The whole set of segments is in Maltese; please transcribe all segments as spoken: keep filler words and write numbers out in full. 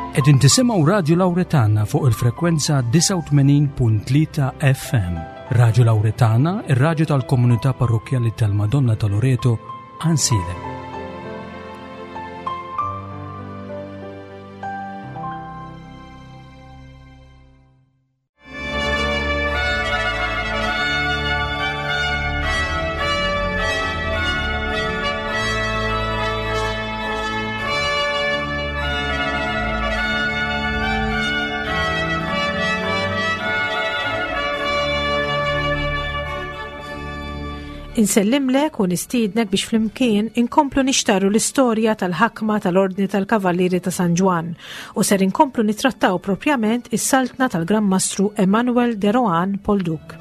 Qegħdin tisimgħu Radio Lauretana fuq il-frekwenza disgħa u tmenin punt tlieta F M. Radio Lauretana, ir-raġu tal-komunità parrokjali tal-Madonna ta' Loreto, Għajnsielem. Insellimlek u nistiednek biex flimkien inkomplu nixtarru l-istorja tal-ħakma tal-Ordni tal-Kavallieri ta' San Ġwann u ser inkomplu nitrattaw propjament is-saltna tal-Gran Mastru Emmanuel de Rohan Polduc.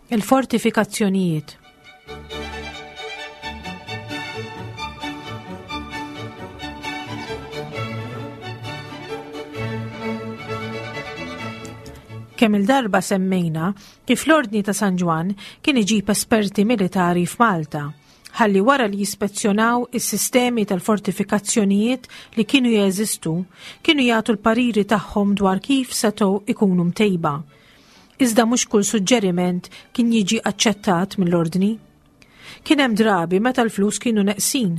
Il-fortifikazzjonijiet. Kemm il-darba semmejna kif l-Ordni ta' San Ġwann kien iġib esperti militari f'Malta, ħalli wara li jispezzjonaw is-sistemi tal-fortifikazzjonijiet li kienu jeżistu, kienu jagħtu l-pariri tagħhom dwar kif setgħu ikunu mtejba. Iżda mhux kull suġġeriment kien jiġi aċċettat mill-ordni. Kien hemm drabi meta l-flus kienu neqsin,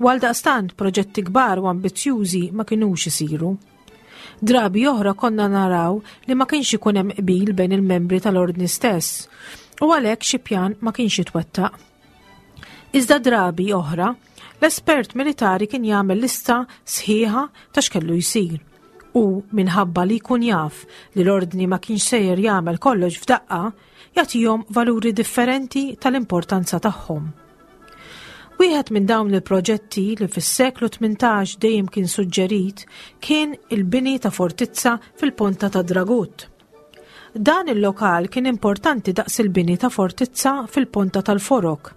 u għaldaqstant proġetti kbar u ambizzjużi ma kinux isiru. Drabi oħra konna naraw li ma kienx ikun hemm qbil bejn il-membri tal-ordni stess, u għalhekk xi pjan ma kienx jitwettaq. Iżda drabi oħra, l-espert militari kien jagħmel lista sħiħa ta' x'kellu jsir. U minħabba li jkun jaf li l-ordni ma kienx sejjer jagħmel kollox f'daqqa, jagħtihom valuri differenti tal-importanza tagħhom. Wieħed minn dawn il-proġetti li fis-seklu tmintax dejjem kien suġġerit kien il-bini ta' fortizza fil-Ponta ta' Dragut. Dan il-lokal kien importanti daqs il-bini ta' fortizza fil-Ponta tal-Forok,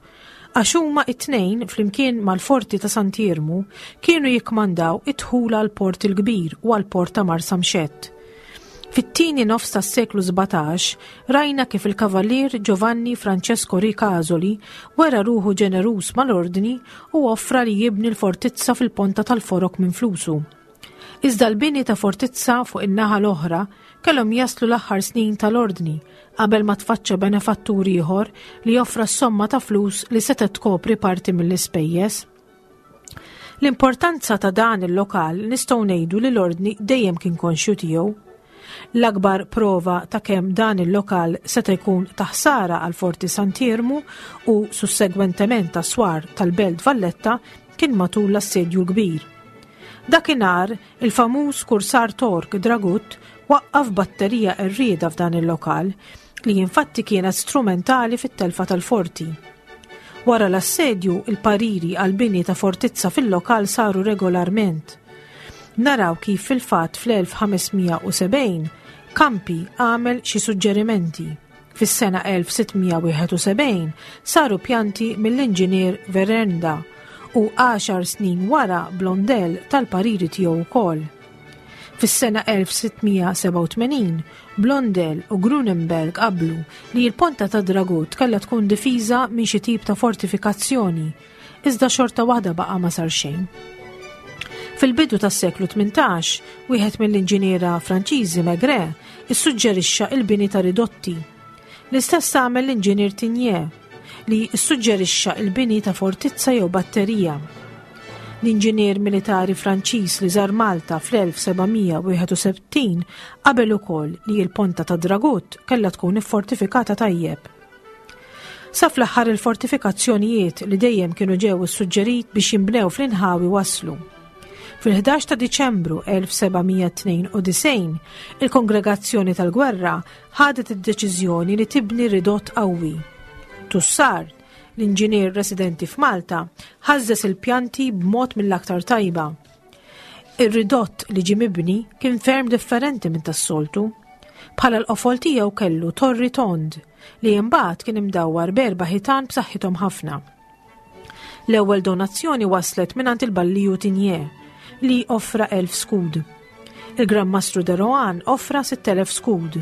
għax huma it-tnejn flimkien mal-forti ta' Sant'Iermu kienu jikmandaw id-dħul għal-Port il-Kbir u għal-Port ta' Marsamxett. Fit-tieni nofs tas-seklu sbatax rajna kif il-Kavallier Giovanni Francesco Ricasoli wera ruħu ġeneruż mal-ordni u offra li jibni l-fortizza fil-Ponta tal-Forok minn flusu. Iżda l-bini ta' fortizza fuq in-naħa l-oħra kellhom jaslu l-aħħar snin tal-ordni qabel ma tfaċċa benefattur ieħor li joffra somma ta' flus li setgħet tkopri parti mill-ispejjeż. L-importanza ta' dan il-lokal nistgħu ngħidu li l-ordni dejjem kien konxju tiegħu. L-akbar prova ta' kemm dan il-lokal seta' jkun ta' ħsara għal Forti Sant'Iermu u sussegwentement ta' swar tal-Belt Valletta kien matul l-assedju l-kbir. Dakinhar il-famuż kursar Tork Dragut waqqaf batterija qerrieda f'dan il-lokal li infatti kienet strumentali fit-telfa tal-forti. Wara l-assedju, il-pariri għal-bini ta' fortizza fil-lokal saru regolarment. Naraw kif fil-fatt fl-elf ħames mija u sebgħin Campi għamel xi suġġerimenti. Fis-sena elf sitt mija wieħed u sebgħin saru pjanti mill-inġinier Verenda u għaxar snin wara Blondel tal-pariri tiegħu wkoll. Fis-sena elf sitt mija sebgħa u tmenin, Blondel u Grunenberg qablu li l-Ponta ta' Dragut kellha tkun difiża minn xi tip ta' fortifikazzjoni, iżda xorta waħda baqa' ma sar xejn. Fil-bidu tas-seklu tmintax, wieħed mill-inġiniera Franċiżi Maigret issuġġerixxa il-bini ta' ridotti. L-istess għamel l-inġinier Tigné li issuġġerixxa il-bini ta' fortizza jew batterija. L-inġinier militari Franċiż li żar Malta fl-elf seba' mija wieħed u sittin qabel ukoll li l-Ponta ta' Dragut kellha tkun iffortifikata tajjeb. Sa fl-aħħar il-fortifikazzjonijiet li dejjem kienu ġew issuġġerit biex jinbnew fl-inħawi waslu. Fil-ħdax ta' Diċembru elf seba' mija tnejn u disgħin, il-Kongregazzjoni tal-Gwerra ħadet id-deċiżjoni li tibni ridott qawwi. Tussar, l-inġinier residenti f'Malta, ħażżeż il-pjanti b'mod mill-aktar tajba. Ir-ridott li ġie mibni kien ferm differenti minn tas-soltu. Bħala l-qofol tiegħu kellu torri tond li imbagħad kien imdawwar b'erba' ħitan b'saħħithom ħafna. L-ewwel donazzjoni waslet mingħand il-Balliju Tigné li offra elf skud. Il-Gran Mastru de Rohan offra sitt elef skud,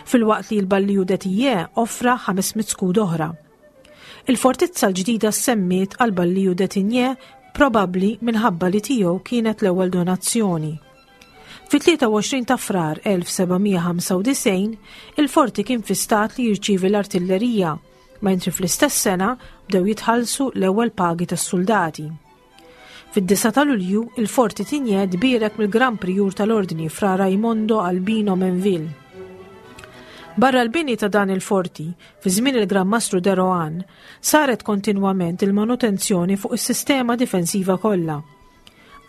filwaqt li l-Balliju de Tillet offra ħames mitt skud oħra. Il-fortizza l-ġdida semmiet għal Balliju de Tigné probabbli minħabba li tiegħu kienet l-ewwel donazzjoni. Fit-tlieta u għoxrin ta' Frar elf seba' mija ħamsa u disgħin, il-forti kien fi stat li jirċievi l-artillerija, mentri fl-istess sena bdew jitħallsu l-ewwel pagi tas-soldati. Fid-disa ta' Lulju, il-forti Tigné tbierek mill-Gran Prijur tal-Ordni Fra Raimondo Albino Menville. Barra l-bini ta' dan il-forti, fi żmien il-Gran Mastru de Rohan, saret kontinwament il-manutenzjoni fuq is-sistema difensiva kollha.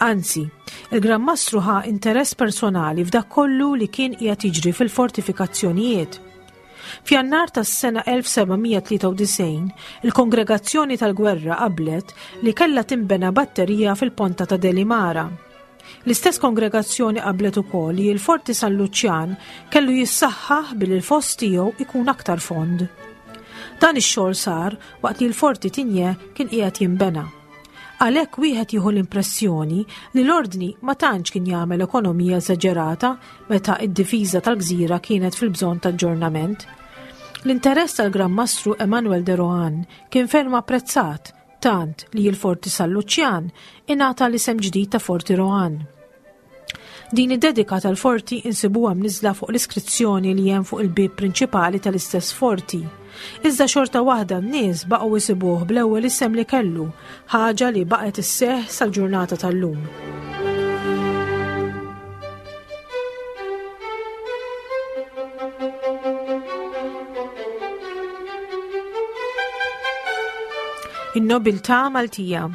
Anzi, il-Gran Mastru ħa interess personali f'dak kollu li kien qiegħed jiġri fil-fortifikazzjonijiet. F'Jannar tas-sena elf seba' mija tlieta u disgħin, il-Kongregazzjoni tal-Gwerra qablet li kellha tinbena batterija fil-Ponta ta' Delimara. L-istess kongregazzjoni qablet ukoll li l-Forti San Luċjan kellu jissaħħaħ billi l-foss tiegħu ikun aktar fond. Dan ix-xogħol sar waqt li l-Forti Tigné kien qiegħed jinbena. Għalhekk wieħed jieħu l-impressjoni li l-ordni ma tantx kien jagħmel ekonomija eżaġerata meta d-difiża tal-gżira kienet fil-bżonn ta' aġġornament. L-interess tal-Gran Mastru Emmanuel de Rohan kien ferm apprezzat, tant li l-Forti San Luċjan ingħata l-isem ġdid ta' Forti Rohan. Din id-dedika tal-forti insibuha mniżla fuq l-iskrizzjoni li hemm fuq il-bieb prinċipali tal-istess forti. Iżda xorta waħda n-nies baqgħu jsibuh bl-ewwel isem li kellu, ħaġa li baqgħet isseħħ sal-ġurnata tal-lum. In-nobiltà Maltija.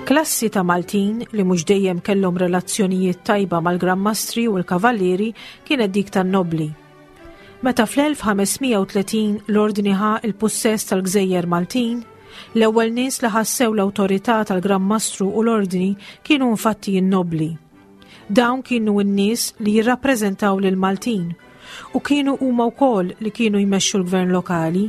Klassi ta' Maltin li mhux dejjem kellhom relazzjonijiet tajba mal-Gran Mastri u l-Kavallieri kienet dik tan-nobli. Meta fl-elf ħames mija u tletin l-ordni ħa il-pussess tal-Gżejjer Maltin, l-ewwel nies li ħassew l-awtorità tal-Gran Mastru u l-ordni kienu infatti n-nobli. Dawn kienu n-nies li jirrappreżentaw lil Maltin u kienu huma wkoll li kienu jmexxu l-gvern lokali.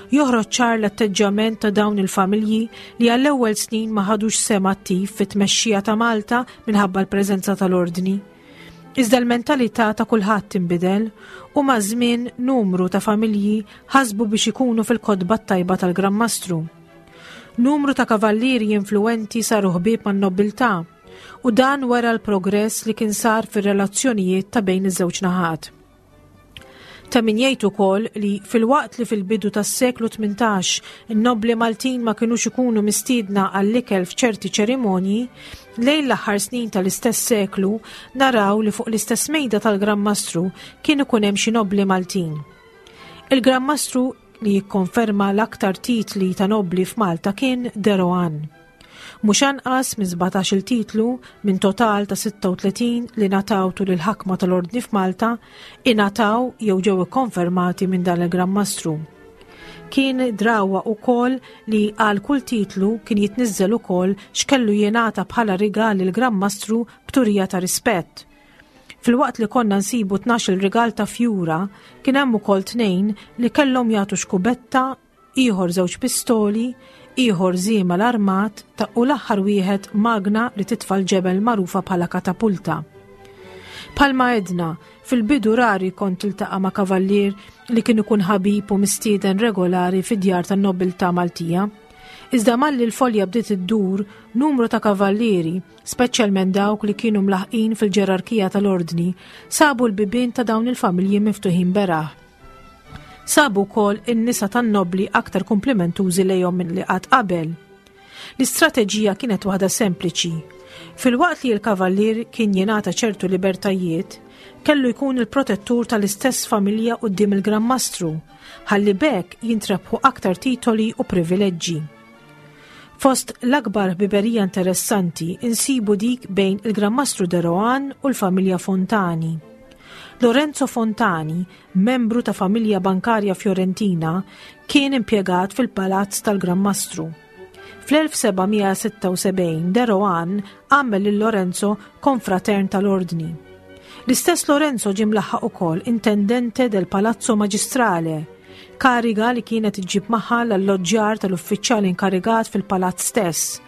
Joħroġ ċar l-atteġġjament ta' dawn il-familji li għall-ewwel snin ma ħadux sehem attiv fit-tmexxija ta' Malta minħabba l-preżenza tal-ordni. Iżda l-mentalità ta' kulħadd tinbidel u ma' żmien numru ta' familji ħasbu biex ikunu fil-kotba tajba tal-Gran Mastru. Numru ta' kavallieri influenti saru ħbieb man-nobiltà u dan wera l-progress li kien sar fir-relazzjonijiet ta' bejn iż-żewġ naħat. Ta' min jgħid ukoll li filwaqt li fil-bidu tas-seklu tmintax in-nobli Maltin ma kinux ikunu mistiedna għall-ikel f'ċerti ċerimonji, lejn l-aħħar snin tal-istess seklu naraw li fuq l-istess mejda tal-Gran Mastru kien ikun hemm xi nobli Maltin. Il-Gran Mastru li jikkonferma l-aktar titli ta' nobli f'Malta kien De Rohan. Mhux anqas minn sbatax-il titlu minn total ta' sitta u tletin li ngħataw tul il-ħakma tal-Ordni f'Malta ingħataw jew ġew ikkonfermati minn dan il-Gran Mastru. Kien drawa wkoll li għal kull titlu kien jitniżżel ukoll x'kellu jingħata bħala rigal lill-Gran Mastru b'turija ta' rispett. Filwaqt li konna nsibu tnax-il rigal ta' fjura, kien hemm ukoll tnejn li kellhom jagħtu xkubetta, ieħor żewġ pistoli, ieħor żiema l-armat ta' u l-aħħar wieħed magna li titfa' l-ġebel magħrufa bħala katapulta. Palma edna, fil-bidu rari kont tiltaqa' ma' kavallier li kien ikun ħabib u mistieden regolari fid-djar tan-nobiltà Maltija. Iżda malli l-folja bdiet iddur, numru ta' kavallieri, speċjalment dawk li kienu mlaħqin fil-ġerarkija tal-ordni, sabu l-bibien ta' dawn il-familji miftuħin beraħ. Sabu wkoll in-nisa tan-nobli aktar komplimentużi lejhom minn li qatt qabel. L-istrateġija kienet waħda sempliċi. Filwaqt li l-kavallier kien jingħata ċertu libertajiet, kellu jkun il-protettur tal-istess familja quddiem il-Gran Mastru, ħalli b'hekk jintrebħu aktar titoli u privileġġi. Fost l-akbar ħbiberija interessanti insibu dik bejn il-Gran Mastru De Rohan u l-familja Fontani. Lorenzo Fontani, membru ta' familja bankarja Fiorentina, kien impjegat fil-palazz tal-Gran Mastru. Fl-elf seba' mija sitta u sebgħin De Rohan għamel lil Lorenzo konfratern tal-ordni. L-istess Lorenzo ġie mlaħħaq ukoll intendente del Palazzo Magistrale, kariga li kienet iġġib magħha l-alloġġjar tal-uffiċjal inkarigat fil-palazz stess.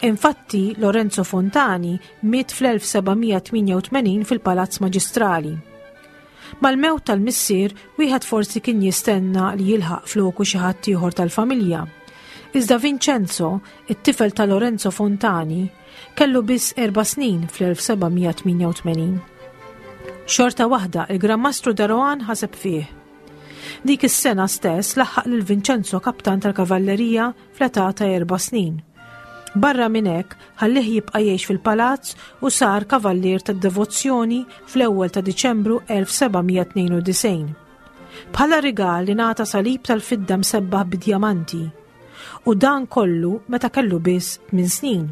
Infatti, Lorenzo Fontani miet fl-elf seba' mija tmienja u tmenin fil-Palazz Maġistrali. Mal-mewt tal-missier, wieħed forsi kien jistenna li jilħaq floku xi ħadd ieħor tal-familja. Iżda Vincenzo, it-tifel ta' Lorenzo Fontani, kellu biss erba' snin fl-elf seba' mija tmienja u tmenin. Xorta waħda, il-Gran Mastru De Rohan ħaseb fih. Dik is-sena stess laħħaq lil Vincenzo kaptan tal-kavallerija fl-età ta' erba' snin. Barra minn hekk, ħallih jibqa' jgħix fil-palazz u sar kavallier tad-devozzjoni fl-ewwel ta' Diċembru elf seba' mija tnejn u disgħin. Bħala rigal li ngħata salib tal-fidda msebbaħ bidjamanti. U dan kollu meta kellu biss tmien snin.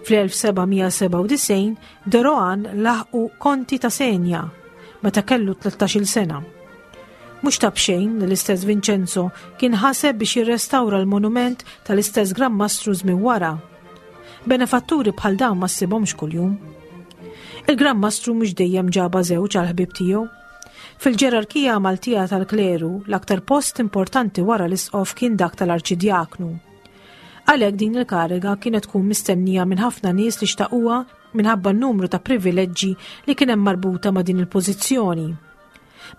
Fl-elf seba' mija sebgħa u disgħin De Rohan laħqu konti ta' Senja meta kellu tlettax-il sena. Mhux ta' b'xejn li l-istess Vincenzo kien ħaseb biex jirrestawra l-monument tal-istess Gran Mastru żmien wara. Benefatturi bħal dawn ma ssibhomx kuljum. Il-Gran Mastru mhux dejjem ġaba żewġ għal ħbib tiegħu. Fil-ġerarkija Maltija tal-kleru, l-aktar post importanti wara l-isqof kien dak tal-arċidjaknu. Għalhekk din il-kariga kienet tkun mistennija minn ħafna nies li xtaquha minħabba n-numru ta' privileġġi li kien hemm marbuta ma' din il-pożizzjoni.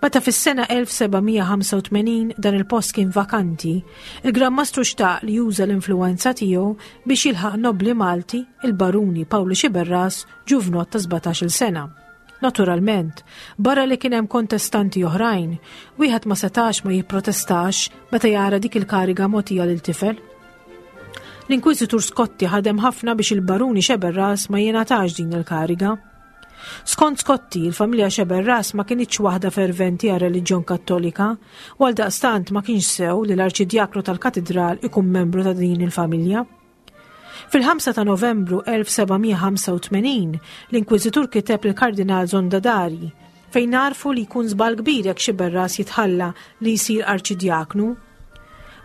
Meta fis-sena elf seba' mija ħamsa u tmenin dan il-post kien vakanti, il-Gran Mastru xtaq li juża l-influenza tiegħu biex jilħaq nobli Malti, il-Baruni Pawlu Xiberras, ġuvnot ta' sbatax-il sena. Naturalment, barra li kien hemm kontestanti oħrajn, wieħed ma setax ma jipprotestax meta jara dik il-kariga mogħtija lil tifel. L-Inkwiżitur Scotti ħadem ħafna biex il-Baruni Xiberras ma jingħatax din il-kariga. Skont Scotti, il-familja Xiberras ma kinitx waħda ferventi għal reliġjon Kattolika, u għal daqstant ma kienx sew li l-arċidjaknu tal-katedral ikun membru ta' din il-familja. Fil-ħamsa ta' Novembru elf seba' mija ħamsa u tmenin, l-Inkwiżitur kiteb il-Kardinal Zondadari fejn għarrfu li jkun żball kbir jekk Xiberras jitħalla li jsir arċidjaknu.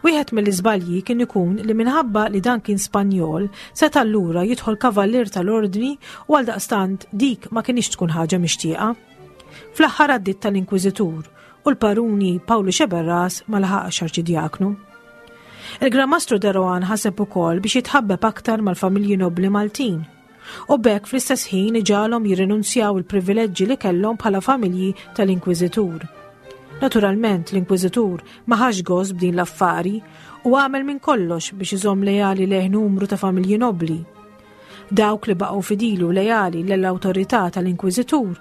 Wieħed mill-iżbalji kien ikun li minħabba li dan kien Spanjol, seta' allura jidħol kavallier tal-ordni u għal daqstant dik ma kienx tkun ħaġa mixtieqa. Fl-aħħar għaddiet tal-Inkwiżitur u l-Baruni Pawlu Xiberras ma laħaqx arċidjaknu. Il-Gran Mastru De Rohan ħaseb ukoll biex jitħabbeb aktar mal-familji nobli Maltin u b'hekk fl-istess ħin iġagħalhom jirrinunzjaw il-privileġġi li kellhom bħala familji tal-Inkwiżitur. Naturalment, l-Inkwiżitur ma ħax gost b'din l-affari u għamel minn kollox biex iżomm lejali lejh numru ta' familji nobli. Dawk li baqgħu fidili u lejali l-awtorità tal-Inkwiżitur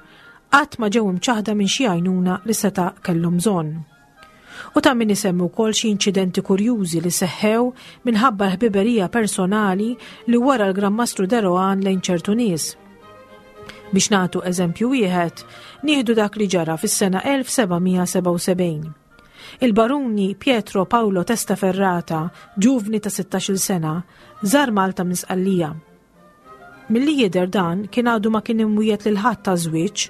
qatt ma ġew imċaħda minn xi għajnuna li seta' kellhom bżonn. U ta' min isemmu wkoll xi inċidenti kurjużi li seħħew minħabba l-ħbiberija personali li wara l-Gran Mastru De Rohan lejn ċertu nies. Biex nagħtu eżempju wieħed, nieħdu dak li ġara fis-sena elf seba' mija sebgħa u sebgħin. Il-baruni Pietro Paolo Testaferrata, ġuvni ta' sittax-il sena, żar Malta minn Sqallija. Milli jidher dan kien għadu ma kien imwiegħed lil ħadd ta' żwieġ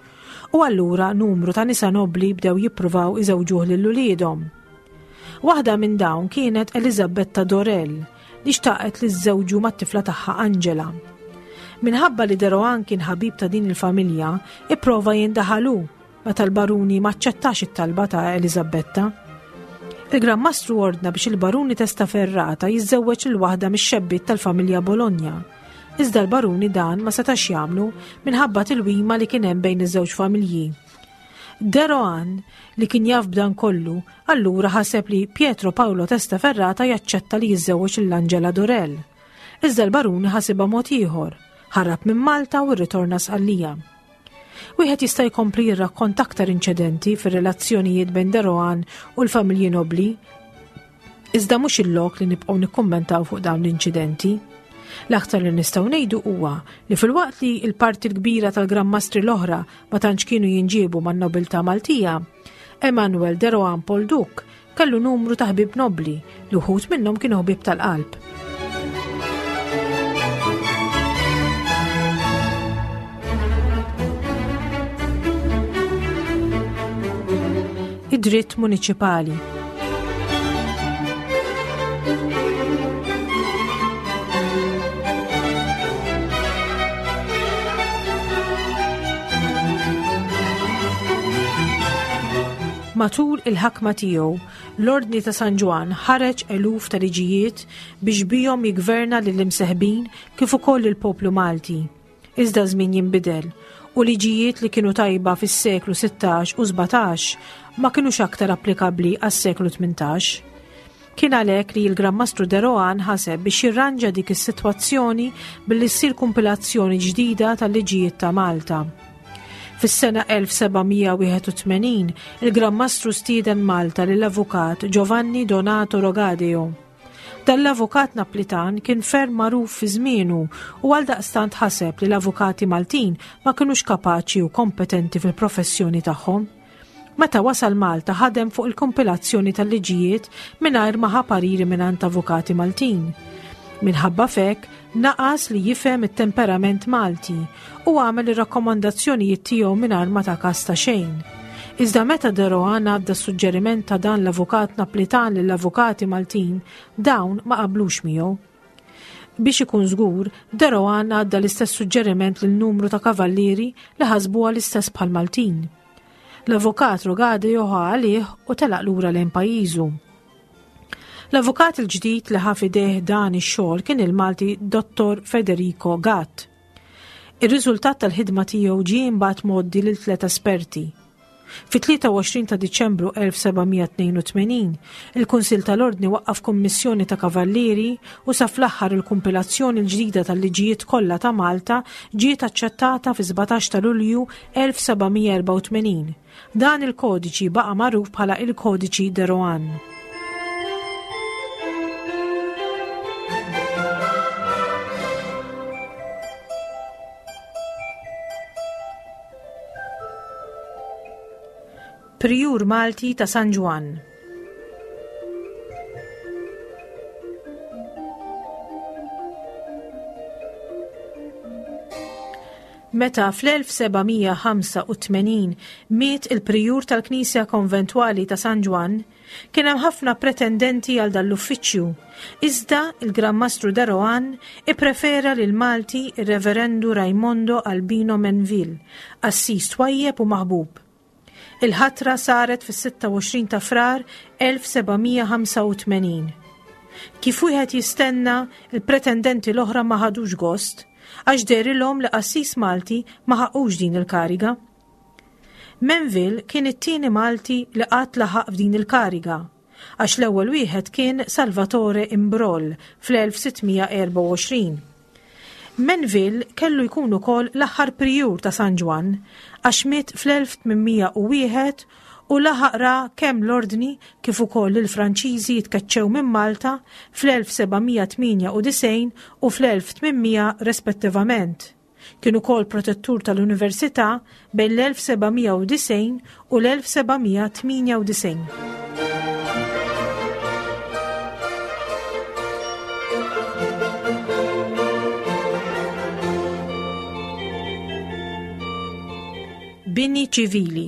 u allura numru ta' nisa nobli bdew jippruvaw iżewġuh lil uliedhom. Waħda minn dawn kienet Elizabetta Dorel li xtaqet li żżewġu mat-tifla tagħha Angela. Minħabba li De Rohan kien ħabib ta' din il-familja, ipprova jindaħalu meta l-baruni maċċettax it-talba ta' Elizabetta. Il-Gran Mastru ordna biex il-Baruni Testaferrata jiżżewweġ lil waħda mix-xebbiet tal-familja Bologna. Iżda l-baruni dan ma setax jagħmlu minħabba tilwima li kien hemm bejn iż-żewġ familji. De Rohan, li kien jaf b'dan kollu, allura ħaseb li Pietro Paolo Testaferrata jaċċetta li jiżżewweġ lil Angela Dorel. Iżda l-baruni ħasibha mod ieħor, ħarab minn Malta u rritorna Sqallija. Wieħed jista' jkompli jirrakkonta aktar inċidenti fir-relazzjonijiet bejn De Rohan u l-familji nobli. Iżda mhux il-lok li nibqgħu nikkummentaw fuq dawn l-inċidenti. L-aktar li nistgħu ngħidu huwa li filwaqt li l-parti l-kbira tal-Gran Mastri l-oħra ma tantx kienu jinġiebu man-nobiltà Maltija, Emanuel De Rohan Polduc kellu numru ta' ħbieb nobli li wħud minnhom kienu ħbieb tal-qalb. id-dritt muniċipali. Matul il-ħakma tiegħu, l-Ordni ta' San Ġwann ħareġ eluf ta' liġijiet biex bihom jigverna lill-imseħbin kif ukoll il-poplu Malti. Iżda żmien jinbidel u liġijiet li kienu tajba fis-seklu sittax u sbatax ma kinux aktar applikabbli għas-seklu tmintax. Kien għalhekk li l-Gran Mastru de Rohan ħaseb biex jirranġa dik is-sitwazzjoni billi ssir kumpilazzjoni ġdida tal-liġijiet ta' Malta. Fis-sena elf sebgħamija wieħed u tmenin, il-Gran Mastru stieden Malta lill-avukat Giovanni Donato Rogadeo. Dan l-avukat Naplitan kien ferm magħruf fi żmienu u għaldaqstant ħaseb li l-avukati Maltin ma kinux kapaċi u kompetenti fil-professjoni tagħhom. Meta wasal Malta ħadem fuq il-kompilazzjoni tal-liġijiet mingħajr ma ħa pariri mingħand avukati Maltin. Minħabba fek, naqas li jifhem it-temperament Malti u għamel ir-rakkomandazzjonijiet tiegħu mingħajr ma ta' kas ta' xejn. Iżda meta de Rohan għadda suġġeriment ta' dan l-avukat Naplitan lill-avukati Maltin, dawn ma qablux miegħu. Biex ikun żgur, de Rohan għadda l-istess suġġeriment lil numru ta' kavallieri li ħasbuha l-istess bħal Maltin. L-avukat Rogadeo ħa għalih u telaq lura lejn pajjiżu. L-avukat il-ġdid li ħa f'idejh dan ix-xogħol kien il-Malti Dottor Federico Gatt. Ir-riżultat tal-ħidma tiegħu ġie imbagħad mgħoddi lil tliet esperti. Fit-tlieta u għoxrin ta' Diċembru elf sebgħamija tnejn u tmenin, il-Kunsill tal-Ordni waqqaf kummissjoni ta' kavallieri u sa fl-aħħar il-kumpilazzjoni l-ġdida tal-liġijiet kollha ta' Malta ġiet aċċettata fi sbatax ta' Lulju elf sebgħamija erbgħa u tmenin. Dan il-kodiċi baqa' magħruf bħala il-Kodiċi de Rohan. Prijur Malti ta' San Ġwann. Meta fl-elf sebgħamija ħamsa u tmenin miet il-prijur tal-Knisja Konventwali ta' San Ġwann, kien hemm ħafna pretendenti għal dan l-uffiċċju. Iżda il-Gran Mastru de Rohan ipprefera lil Malti ir-Reverendu Raimondo Albino Menville, qassis twajjeb u maħbub. Il-ħatra saret fis-sitta u għoxrin ta' Frar elf sebgħamija ħamsa u tmenin. Kif wieħed jistenna, il-pretendenti l-oħra ma ħadux gost, għax dehrilhom li qassis Malti ma ħaqqux din il-kariga. Menville kien it-tieni Malti li qatt laħaq f'din il-kariga, għax l-ewwel wieħed kien Salvatore Imbrol fl-elf sittmija erbgħa u għoxrin. Menville kellu jkun ukoll l-aħħar prijur ta' San Ġwann, għax miet fl-elf tmienmija u wieħed u laħaq ra kemm l-ordni kif ukoll il-Franċiżi jitkeċċew minn Malta fl-elf sebgħamija tmienja u disgħin u fl-elf tmienmija rispettivament. Kien ukoll protettur tal-Università bejn l-elf sebgħamija u disgħin u l-elf sebgħamija tmienja u disgħin. Bini ċivili.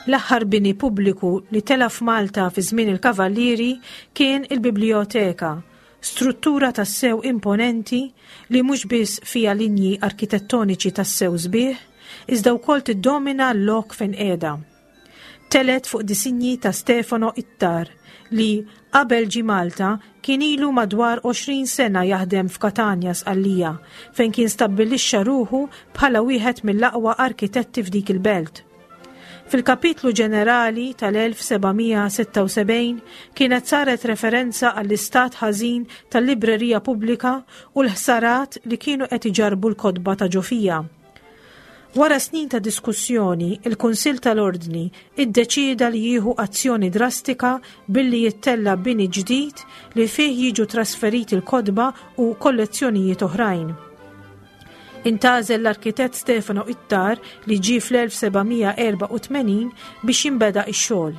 L-aħħar bini pubbliku li tela' f'Malta fi żmien il-Kavallieri kien il-Biblioteka, struttura tassew imponenti li mhux biss fiha linji arkitettoniċi tassew sbieħ, iżda wkoll tiddomina l-lok fejn qiegħda. Telet fuq disinji ta' Stefano Ittar li qabel ġie Malta kien ilu madwar għoxrin sena jaħdem f'Katanja Sqallija fejn kien stabbilixxa ruħu bħala wieħed mill-aqwa arkitetti f'dik il-belt. Fil-kapitlu ġenerali tal-elf sebgħamija sitta u sebgħin kienet saret referenza għall-istat ħażin tal-librerija pubblika u l-ħsarat li kienu qed iġarbu l-kotba ta' ġofija. Wara snin ta' diskussjoni, il-Kunsill tal-Ordni iddeċieda li jieħu azzjoni drastika billi jittella bini ġdid li fih jiġu trasferiti l-kotba u kollezzjonijiet oħrajn. Intgħażel l-arkitett Stefano Ittar li ġie fl-elf sebgħamija erbgħa u tmenin biex jinbeda x-xogħol.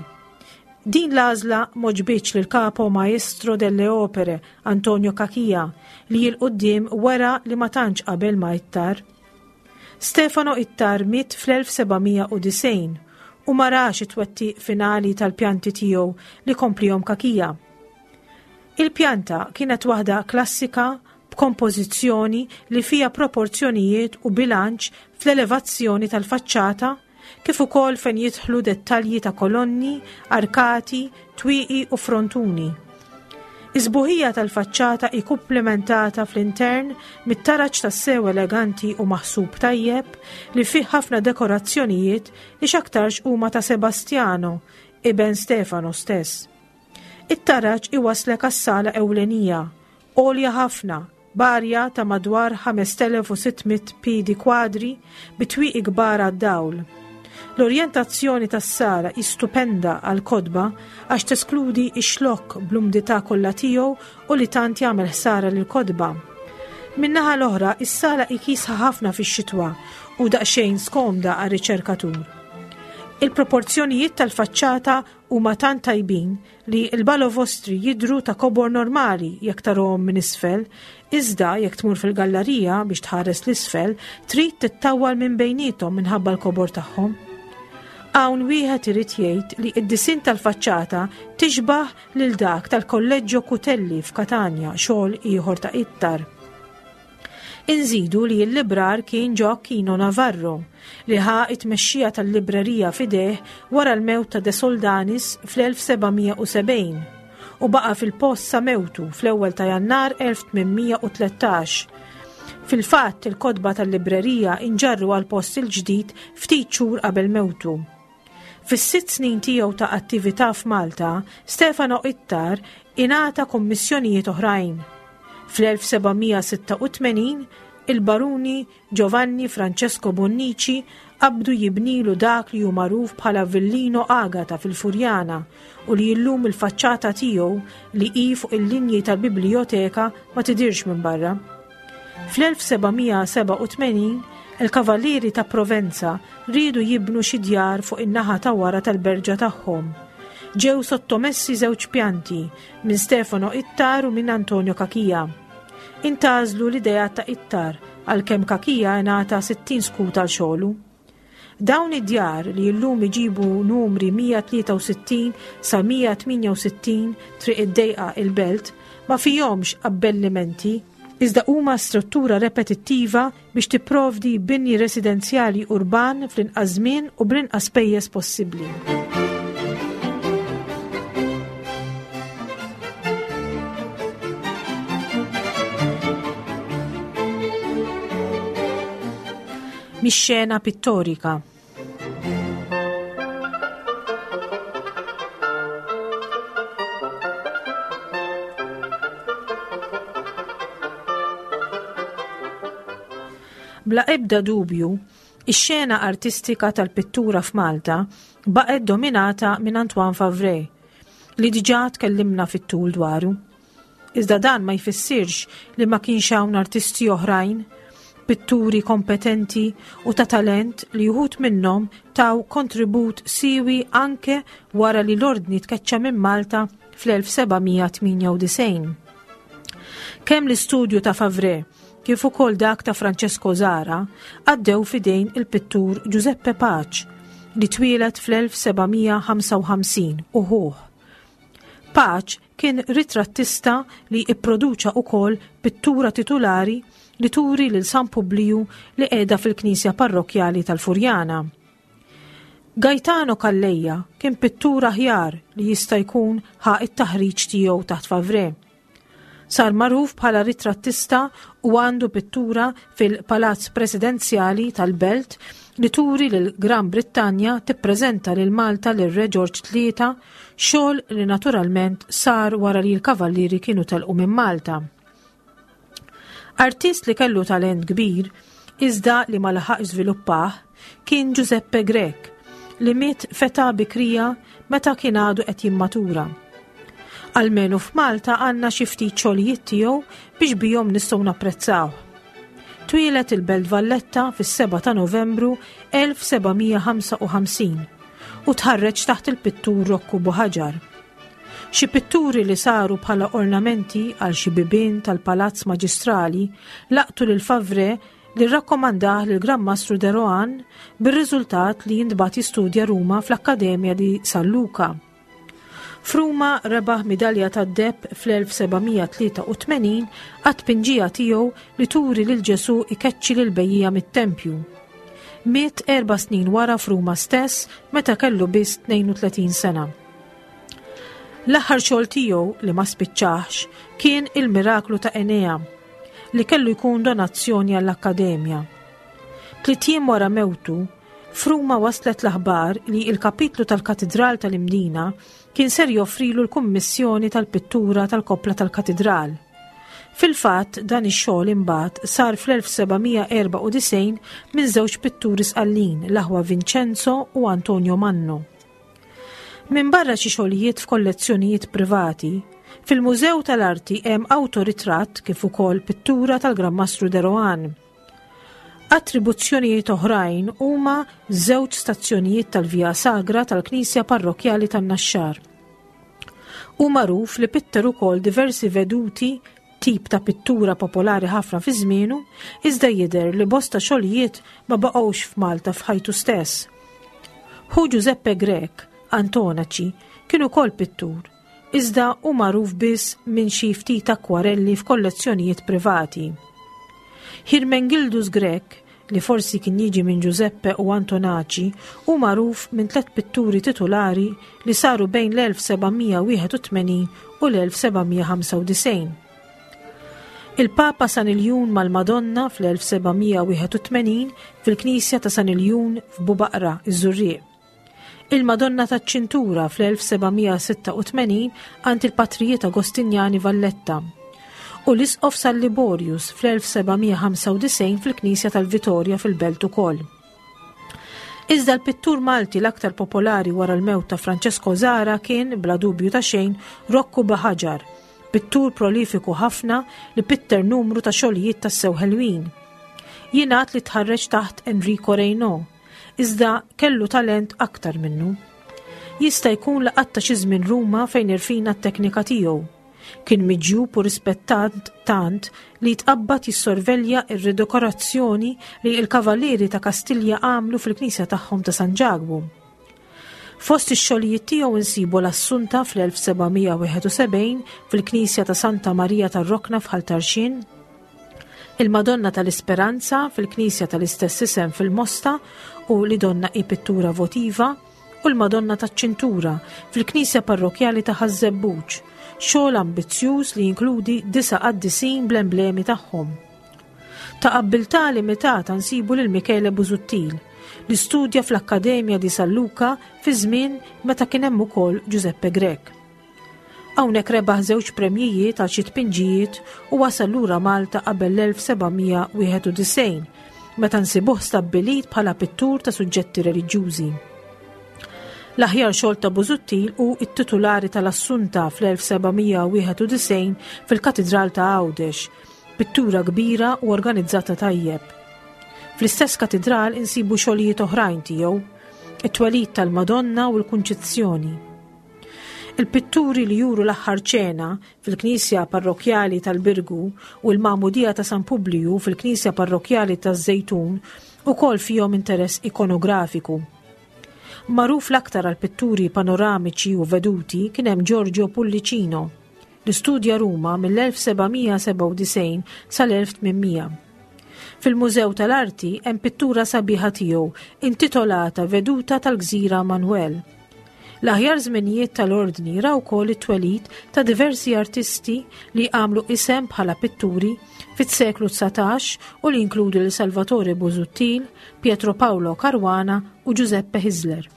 Din l-għażla m'għoġbitx lil capo maestro delle opere Antonio Cachia li 'l quddiem wera li ma tantx qabel ma' Ittar. Stefano Ittar miet fl-elf seba' mija u disgħin u ma rax it-twettiq finali tal-pjanti tiegħu li komplihom Cachia. Il-pjanta kienet waħda klassika b'kompożizzjoni li fija proporzjonijiet u bilanċ fl-elevazzjoni tal-faċċata kif ukoll fejn jidħlu dettalji ta' kolonni, arkati, twieqi u frontuni. Is-sbuħija tal-faċċata hi komplementata fl-intern mit-taraġ tassew eleganti u maħsub tajjeb li fih ħafna dekorazzjonijiet li x'aktarx huma ta' Sebastiano, iben Stefano stess. It-taraġ iwaslek għas-sala ewlenija, għolja ħafna, b'arja ta' madwar ħamest elef u sitt mitt piedi kwadri bi twieqi kbar għad-dawl. L-orjentazzjoni tas-sala hi stupenda għal kotba għax teskludi ix-xlokk bl-umdità kollha tiegħu u li tant jagħmel ħsara lil kotba. Min-naħa l-oħra, is-sala hi kiesħa ħafna fix-xitwa u daqsxejn skomda għar-riċerkatur. Il-proporzjonijiet tal-faċċata huma tant tajbin li l-balovostri jidru ta' kobor normali jekk tarahom minn isfel, iżda jekk tmur fil-gallerija biex tħares l-isfel, trid tittawwal minn bejnietom minħabba l-kobor tagħhom. Hawn wieħed irid jgħid li d-disinn tal-faċċata tixbaħ lil dak tal-Kolleġġio Cutelli f'Katania, xogħol ieħor ta' Ittar. Inżidu li l-librar kien Gioacchino Navarro li ħa it-tmexxija tal-librerija f'idejh wara l-mewt ta' De Soldanis fl-elf seba' mija u sebgħin u baqa fil-post sa mewtu fl-ewwel ta' Jannar elf tmien mija u tlettax. Fil-fatt, il-kotba tal-librerija inġarru għal post il-ġdid ftit xhur qabel mewtu. Fis-sitt snin tiegħu ta' attività f'Malta, Stefano Ittar ingħata kommissjonijiet oħrajn. Fl-elf seba' mija u sitta u tmenin il-baruni Giovanni Francesco Bonnici qabdu jibnilu dak li hu magħruf bħala Villino Agata fil-Furjana u li illum il-faċċata tiegħu li hi fuq il-linji tal-biblioteka ma tidirx minn barra. Fl-elf seba' mija u sebgħa u tmenin il-Kavallieri ta' Provenza riedu jibnu xi djar fuq in-naħa ta' wara tal-berġa tagħhom. Ġew sottomessi żewġ pjanti minn Stefano Ittar u minn Antonio Cachia. Intgħażlu l-idea ta' Ittar għalkemm Cachia ngħata sittin skut għal xogħlu. Dawn id-djar li llum iġibu numri mija u tlieta u sittin sa mija u tmienja u sittin Triq id-Dejqa, il-Belt, ma fihomx abbellimenti iżda huma struttura repetittiva biex tipprovdi bini residenzjali urban fl-inqas żmien u bl-inqas spejjeż possibbli. Mix-xena pittorika. Bla ebda dubju, ix-xena artistika tal-pittura f'Malta baqgħet dominata minn Antoine Favre, li diġà tkellimna fit-tul dwaru. Iżda dan ma jfissirx li ma kienx hawn artisti oħrajn, pitturi kompetenti u ta' talent li uħud minnhom taw kontribut siewi anke wara li l-ordni tkeċċa minn Malta fl-elf seba' mija u tmienja u disgħin. Kemm l-istudju ta' Favre kif ukoll dak ta' Francesco Zara għaddew f'idejn il-pittur Giuseppe Pace li twieled fl-elf seba' mija u ħamsa u ħamsin u ħuh. Pace kien ritrattista li ipproduċa ukoll pittura titulari li turi lil San Publiju li qiegħda fil-Knisja Parrokjali tal-Furjana. Gaetano Calleja kien pittur aħjar li jista' jkun ħa it-taħriġ tiegħu taħt Favre. Sar magħruf bħala ritrattista u għandu pittura fil-Palazz Presidenzjali tal-Belt li turi lil Gran Brittanja tippreżenta lil Malta lil Re George tlieta, xogħol li naturalment sar wara li l-kavallieri kienu telqu minn Malta. Artist li kellu talent kbir, iżda li ma laħaq żviluppah, kien Giuseppe Grech, li miet f'età bikrija meta kien għadu qed jimmatura. Almenu f'Malta għandna xi ftit xogħlijiet tiegħu biex bihom nistgħu napprezzaw. Twieled il-Belt Valletta fis-seba ta' Novembru elf seba' mija u ħamsa u ħamsin u tħarreġ taħt il-pittur Rokku Buħaġar. Xi pitturi li saru bħala ornamenti għal xi bibien tal-Palazz Maġistrali laqtu lil Favre li rrakkomandah lil Gran Mastru de Rohan, bir-riżultat li jintbagħat jistudja Ruma fl-Akkademja di San Luca. F'Ruma rebaħ midalja tad-deheb fl-elf seba' mija tlieta u tmenin għat-tpinġija tiegħu li turi lil Ġesu ikeċċi lil bejjiegħa mit-tempju. Miet erba' snin wara f'Ruma stess, meta kellu biss tnejn u tletin sena. L-aħħar xogħol tiegħu li ma spiċċax kien il-Miraklu ta' Enea, li kellu jkun donazzjoni għall-Akkademja. Tliet ijiem wara mewtu, f'Ruma waslet l-aħbar li il-kapitlu tal-Katidral tal-Imdina kien ser joffrilu l-kummissjoni tal-pittura tal-koppla tal-katidral. Fil-fatt, dan ix-xogħol imbagħad sar fl-elf seba' mija erbgħa u disgħin minn żewġ pitturi Sqallin, l-aħwa Vincenzo u Antonio Manno. Minn barra xi xogħlijiet f'kollezzjonijiet privati, fil-Mużew tal-Arti hemm awtoritratt kif ukoll pittura tal-Gran Mastru de Rohan. Attribuzzjonijiet oħrajn huma żewġ stazzjonijiet tal-Via Sagra tal-Knisja Parrokjali tan-Naxxar. Hu magħruf li pitter ukoll diversi veduti, tip ta' pittura popolari ħafna fi żmienu, iżda jidher li bosta xogħlijiet ma baqgħux f'Malta f'ħajtu stess. Ħu Giuseppe Grech, Antonaci, kien ukoll pittur, iżda hu magħruf biss minn xi ftit akwarelli f'kollezzjonijiet privati. Hermengildus Grech, li forsi kien jiġi minn Giuseppe u Antonaci, hu magħruf minn tliet pitturi titolari li saru bejn l-elf seba' mija wieħed u tmenin u l-elf seba' mija ħamsa u disgħin. Il-Papa San Iljun mal-Madonna fl-elf seba' mija wieħed u tmenin fil-Knisja ta' San Iljun f'Bubaqra, iż-Żurrieq. Il-Madonna taċ-Ċintura fl-elf seba' mija sitta u tmenin għand il-Patrijiet Agostinjani Valletta. U l-Isqof San Liborius fl-elf seba' mija ħamsa u disgħin fil-Knisja tal-Vitorja fil-Belt ukoll. Iżda l-pittur Malti l-aktar popolari wara l-mewt ta' Francesco Zahra kien, bla dubju ta' xejn, Rokku Buhagiar, pittur prolifiku ħafna li pitter numru ta' xogħlijiet tassew ħelwin. Jingħad li tħarreġ taħt Enrico Reynaud, iżda kellu talent aktar minnu. Jista' jkun li qatta' xi żmien Ruma fejn irfina t-teknika tiegħu. Kien miġjub u rispettat tant li tqabbad jissorvelja ir-ridekorazzjoni li l-Kavallieri ta' Kastilja għamlu fil-knisja tagħhom ta' San Ġakbu. Fost ix-xogħlijiet tiegħu insibu l-Assunta fl-elf seba' mija wieħed u sebgħin fil-Knisja ta' Santa Marija tar-Rokna f'Ħal Tarxien, il-Madonna tal-Isperanza fil-Knisja tal-istess isem fil-Mosta u li donnha hi pittura votiva, u l-Madonna taċ-Ċintura fil-Knisja Parrokjali ta' Ħaż-Żebbuġ, xogħol ambizzjuż li jinkludi disa' qaddisin bl-emblemi tagħhom. Ta' abbiltà limitata nsibu lil Michele Busuttil, li studja fl-Akkademja di San Luca fi żmien meta kien hemm ukoll Giuseppe Grech. Hawnhekk rebaħ żewġ premjijiet għal xi tpinġijiet u wasal lura Malta qabel l-elf seba' mija wieħed u disgħin, meta nsibuh stabbilit bħala pittur ta' suġġetti reliġjużi. L-aħjar xogħol ta' Busuttil hu it-titulari tal-Assunta fl-elf seba' mija wieħed u disgħin fil-Katidral ta' Għawdex, pittura kbira u organizzata tajjeb. Fl-istess katidral insibu xogħlijiet oħrajn tiegħu, it-twelid tal-Madonna u l-Kunċizzjoni. Il-pitturi li juru l-aħħar ċena fil-Knisja Parrokjali tal-Birgu u l-Magħmudija ta' San Publiju fil-Knisja Parrokjali taż-Żejtun ukoll fihom interess ikonografiku. Magħruf l-aktar għal pitturi panoramiċi u veduti kien hemm Giorgio Pullicino, li studja Ruma mill-elf seba' mija sebgħa u disgħin sal-elf tmien mija. Fil-Mużew tal-Arti hemm pittura sabiħa tiegħu intitolata Veduta tal-Gżira Manuel. L-aħjar żminijiet tal-ordni raw ukoll it-twelid ta' diversi artisti li għamlu isem bħala pitturi fis-seklu dsatax u li inkludu lil Salvatore Busuttil, Pietro Paolo Caruana u Giuseppe Hyzler.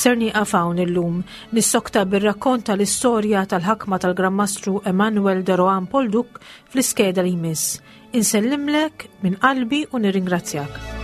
Ser nieqaf hawn illum nissokta bir-rakkont tal-istorja tal-ħakma tal-Gran Mastru Emanuel de Rohan Polduc fl-iskeda li jmiss. Insellimlek minn qalbi u nirringrazzjak.